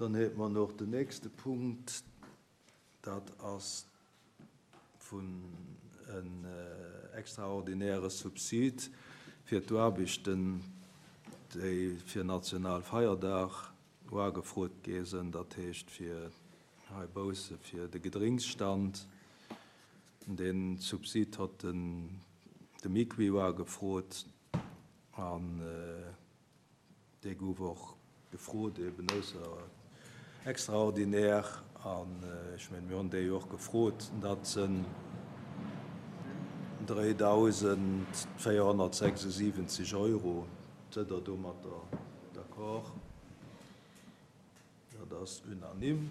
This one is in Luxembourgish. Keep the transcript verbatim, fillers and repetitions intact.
Dann hätt mer nach den nächste Punkt, dat ass vun en extraordinäre Subsid fir d'Aarbechten, déi fir Nationalfeierdag ugefrot gi sinn, dat heescht fir heibausse fir de Gedringsstand. Den Subsid hat den de MIQUI ugefrot an dee gouf och gefrot eben ausser extraordinär an ech mengen, mir hunn déi och gefrot, dat sinn dräidausendvéierhonnertsechsundsiwwenzeg Euro. Sidd Der domatter d'accord? Dat ass unanime.